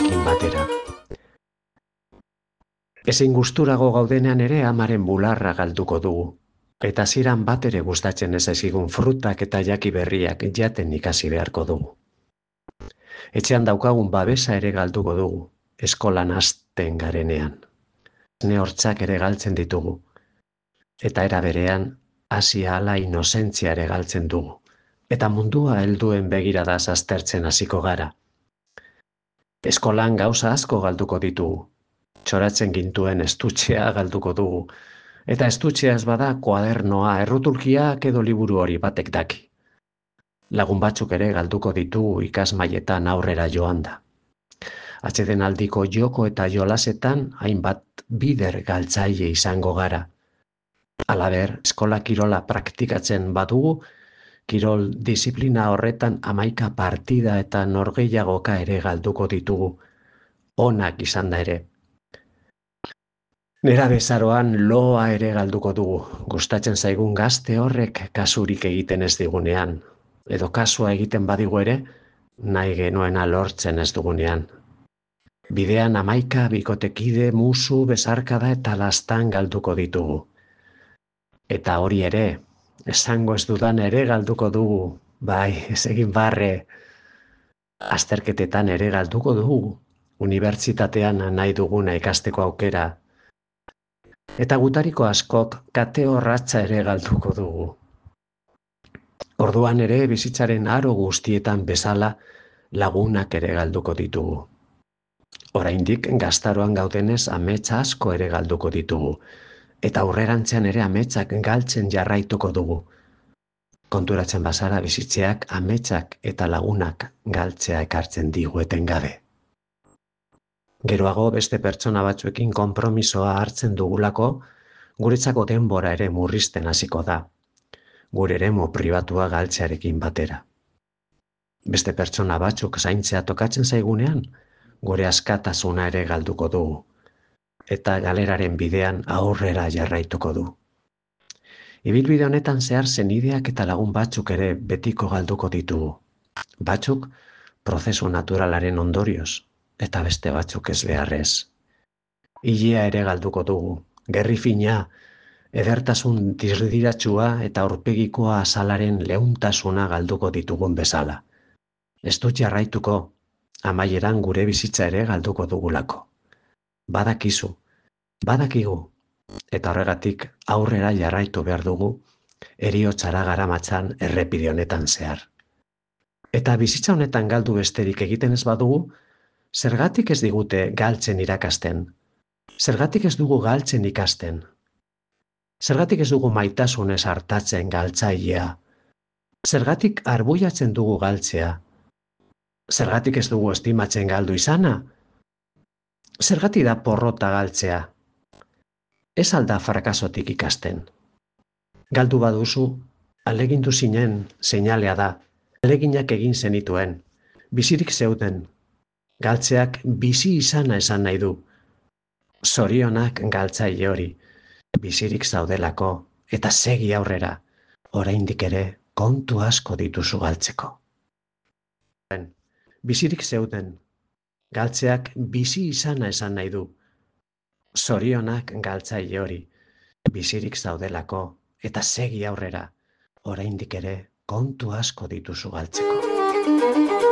ekin batera. Ezin gusturago gaudenean ere amaren bularra galduko dugu, eta ziran bat ere gustatzen ez ezigun frutak eta jaki berriak jaten ikasi beharko dugu. Etxean daukagun babesa ere galduko dugu, eskolan hasten garenean. Ne hortzak ere galtzen ditugu, eta era berean hasi ahala inozentzia ere galtzen dugu, eta mundua helduen begiradaz aztertzen hasiko gara. Eskolan gauza asko galduko ditugu, txoratzen gintuen estutxea galduko dugu, eta estutxea ez bada kuadernoa, errutulkiak edo liburu hori batek daki. Lagun batzuk ere galduko ditugu ikasmailetan aurrera joan da. Atsedenaldiko joko eta jolasetan hainbat bider galtzaile izango gara. Halaber, eskola kirola praktikatzen badugu, kirol disiplina horretan 11 partida eta norgehiagoka ere galduko ditugu, onak izan da ere. Nera bezaroan loa ere galduko dugu, gustatzen zaigun gazte horrek kasurik egiten ez digunean, edo kasua egiten badigu ere, nahi genuena lortzen ez dugunean. Bidean 11 bikotekide, musu, besarkada eta lastan galduko ditugu. Eta hori ere, esango ez dudan ere galduko dugu, bai, ez egin barre. Azterketetan ere galduko dugu, unibertsitatean nahi duguna ikasteko aukera. Eta gutariko askok kate horratza ere galduko dugu. Orduan ere bizitzaren aro guztietan bezala lagunak ere galduko ditugu. Oraindik gaztaroan gaudenez ametsa asko ere galduko ditugu, eta aurrerantzean ere ametsak galtzen jarraituko dugu. Konturatzen bazara bizitzeak ametsak eta lagunak galtzea ekartzen digu etengabe. Geroago beste pertsona batzuekin konpromisoa hartzen dugulako, guretzako denbora ere murrizten hasiko da, gure eremu pribatua galtzearekin batera. Beste pertsona batzuk zaintzea tokatzen zaigunean, gure askatasuna ere galduko dugu, eta galeraren bidean aurrera jarraituko du. Ibilbide honetan zehar senideak eta lagun batzuk ere betiko galduko ditugu. Batzuk prozesu naturalaren ondorioz, eta beste batzuk ez beharrez. Ilea ere galduko dugu, gerri fina, edertasun dirdiratsua eta aurpegikoa azalaren leuntasuna galduko ditugun bezala. Ez dut jarraituko, amaieran gure bizitza ere galduko dugulako. Badakigu, eta horregatik aurrera jarraitu behar dugu, heriotzara garamatzan errepide honetan zehar. Eta bizitza honetan galdu besterik egiten ez badugu, zergatik ez digute galtzen irakasten? Zergatik ez dugu galtzen ikasten? Zergatik ez dugu maitasunez hartatzen galtzailea? Zergatik arbuiatzen dugu galtzea? Zergatik ez dugu estimatzen galdu izana? Zergatik da porrota galtzea? Ez alda frakasotik ikasten. Galdu baduzu, ahalegindu zinen seinalea da, ahaleginak egin zenituen, bizirik zeuden. Galtzeak bizi izana esan nahi du. Zorionak galtzaile hori, bizirik zaudelako, eta segi aurrera, oraindik ere kontu asko dituzu galtzeko. Bizirik zeuden, galtzeak bizi izana esan nahi du. Zorionak galtzaile hori, bizirik zaudelako, eta segi aurrera, oraindik ere kontu asko dituzu galtzeko.